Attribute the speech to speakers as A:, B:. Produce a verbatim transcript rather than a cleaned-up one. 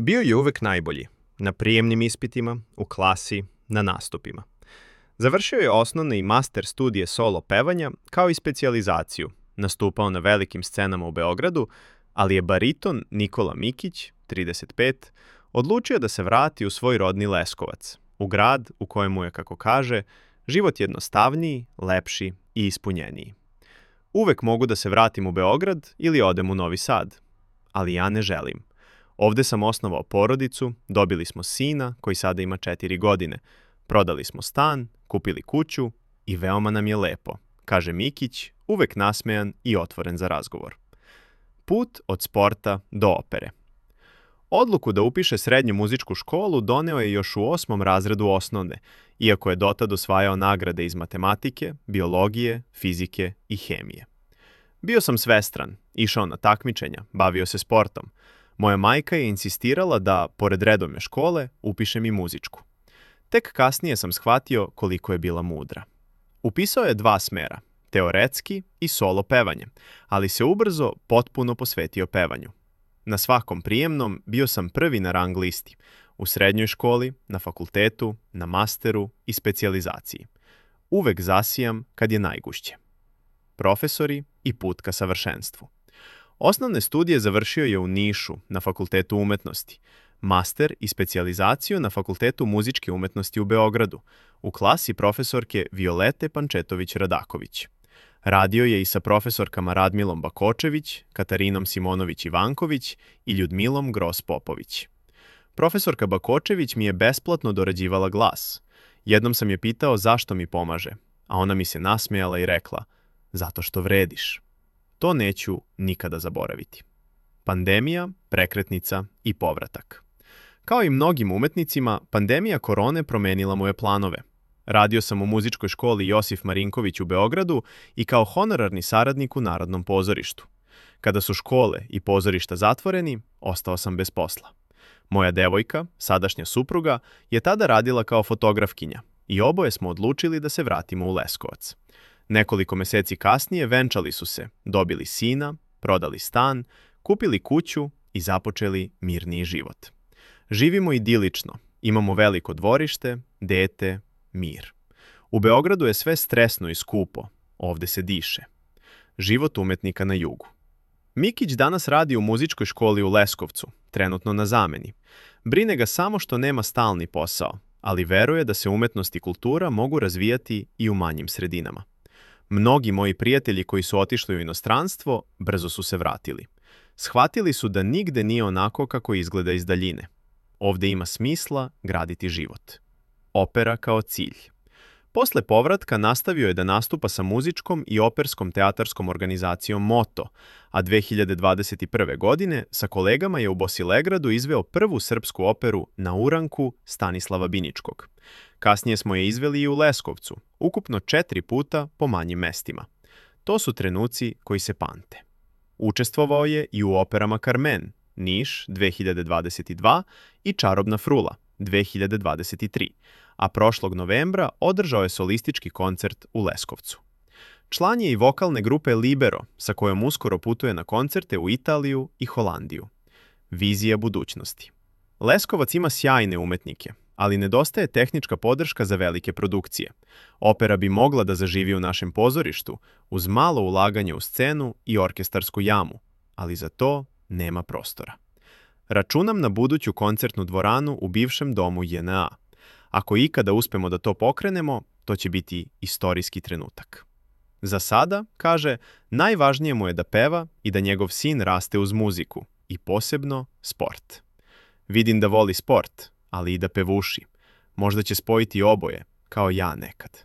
A: Bio je uvek najbolji. Na prijemnim ispitima, u klasi, na nastupima. Završio je osnovne i master studije solo pevanja, kao i specijalizaciju. Nastupao na velikim scenama u Beogradu, ali je bariton Nikola Mikić, trideset pet, odlučio da se vrati u svoj rodni Leskovac, u grad u kojemu je, kako kaže, život jednostavniji, lepši i ispunjeniji. Uvek mogu da se vratim u Beograd ili odem u Novi Sad, ali ja ne želim. Ovde sam osnovao porodicu, dobili smo sina koji sada ima četiri godine, prodali smo stan, kupili kuću i veoma nam je lepo, kaže Mikić, uvek nasmejan i otvoren za razgovor. Put od sporta do opere. Odluku da upiše srednju muzičku školu doneo je još u osmom razredu osnovne, iako je dotad osvajao nagrade iz matematike, biologije, fizike i hemije. Bio sam svestran, išao na takmičenja, bavio se sportom. Moja majka je insistirala da, pored redovne škole, upišem i muzičku. Tek kasnije sam shvatio koliko je bila mudra. Upisao je dva smera, teoretski i solo pevanje, ali se ubrzo potpuno posvetio pevanju. Na svakom prijemnom bio sam prvi na rang listi, u srednjoj školi, na fakultetu, na masteru i specijalizaciji. Uvek zasijam kad je najgušće. Profesori i put ka savršenstvu. Osnovne studije završio je u Nišu, na Fakultetu umetnosti, master i specijalizaciju na Fakultetu muzičke umetnosti u Beogradu, u klasi profesorke Violete Pančetović-Radaković. Radio je i sa profesorkama Radmilom Bakočević, Katarinom Simonović-Ivanković i Ljudmilom Gros-Popović. Profesorka Bakočević mi je besplatno dorađivala glas. Jednom sam je pitao zašto mi pomaže, a ona mi se nasmejala i rekla, zato što vrediš. To neću nikada zaboraviti. Pandemija, prekretnica i povratak. Kao i mnogim umetnicima, pandemija korone promenila moje planove. Radio sam u muzičkoj školi Josif Marinković u Beogradu i kao honorarni saradnik u Narodnom pozorištu. Kada su škole i pozorišta zatvoreni, ostao sam bez posla. Moja devojka, sadašnja supruga, je tada radila kao fotografkinja i oboje smo odlučili da se vratimo u Leskovac. Nekoliko meseci kasnije venčali su se, dobili sina, prodali stan, kupili kuću i započeli mirniji život. Živimo idilično, imamo veliko dvorište, dete, mir. U Beogradu je sve stresno i skupo, ovde se diše. Život umetnika na jugu. Mikić danas radi u muzičkoj školi u Leskovcu, trenutno na zameni. Brine ga samo što nema stalni posao, ali veruje da se umetnost i kultura mogu razvijati i u manjim sredinama. Mnogi moji prijatelji koji su otišli u inostranstvo brzo su se vratili. Shvatili su da nigde nije onako kako izgleda iz daljine. Ovde ima smisla graditi život. Opera kao cilj. Posle povratka nastavio je da nastupa sa muzičkom i operskom teatarskom organizacijom Moto, a dve hiljade dvadeset prve. godine sa kolegama je u Bosilegradu izveo prvu srpsku operu Na uranku Stanislava Biničkog. Kasnije smo je izveli i u Leskovcu, ukupno četiri puta po manjim mestima. To su trenuci koji se pamte. Učestvovao je i u operama Carmen, Niš dve hiljade dvadeset dva i Čarobna frula dve hiljade dvadeset tri, a prošlog novembra održao je solistički koncert u Leskovcu. Član je i vokalne grupe Libero, sa kojom uskoro putuje na koncerte u Italiju i Holandiju. Vizija budućnosti. Leskovac ima sjajne umetnike, ali nedostaje tehnička podrška za velike produkcije. Opera bi mogla da zaživi u našem pozorištu uz malo ulaganje u scenu i orkestarsku jamu, ali za to nema prostora. Računam na buduću koncertnu dvoranu u bivšem domu J N A. Ako ikada uspemo da to pokrenemo, to će biti istorijski trenutak. Za sada, kaže, najvažnije mu je da peva i da njegov sin raste uz muziku i posebno sport. Vidim da voli sport, ali i da pevuši. Možda će spojiti oboje, kao ja nekad.